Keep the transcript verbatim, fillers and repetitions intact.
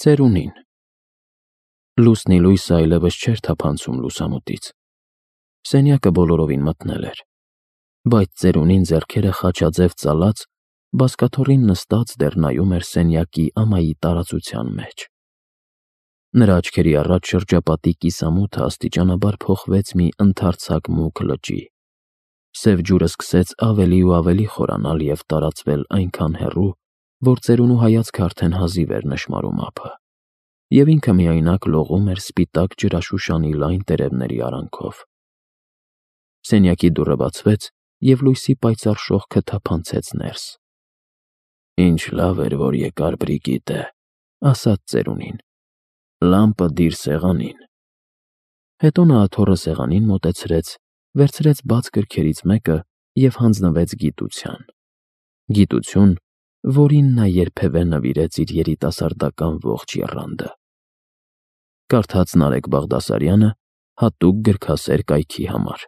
Ծերունին։ Լուսնի լույսը այլևս չէր թափանցում լուսամուտից։ Սենյակը բոլորովին մթնել էր, բայց ծերունին ձեռքերը խաչաձև ծալած, բազկաթոռին նստած դեռ նայում էր սենյակի ամայի տարածության մեջ։ Նրա աչքերի առաջ շրջապատի կիսամութը աստիճանաբար փոխվեց մի ընդարձակ մուգ լճի։ Սև ջուրը սկսեց ավելի ու ավելի խորանալ և տարածվել այնքան հեռու, որ ծերունու հայացքը արդեն հազիվ էր նշմարում ափը, և ինքը միայնակ լողում էր սպիտակ ջրաշուշանի լայն տերևների արանքով։ Սենյակի դուռը բացվեց, և լույսի պայծառ շողքը թափանցեց ներս։ «Ինչ լավ էր, որ եկար, Բրիգիտե», ասաց ծերունին։ «Լամպը դիր սեղանին»։ Հետո նա աթոռը սեղանին մոտեցրեց, վերցրեց բաց գրքերից մեկը և հանձնվեց գիտության։ Գիտություն, որին նա երբևէ նվիրեց իր երիտասարդական ողջ եռանդը։ Կարդաց Նարեկ Բաղդասարյանը հատուկ գրքասեր կայքի համար։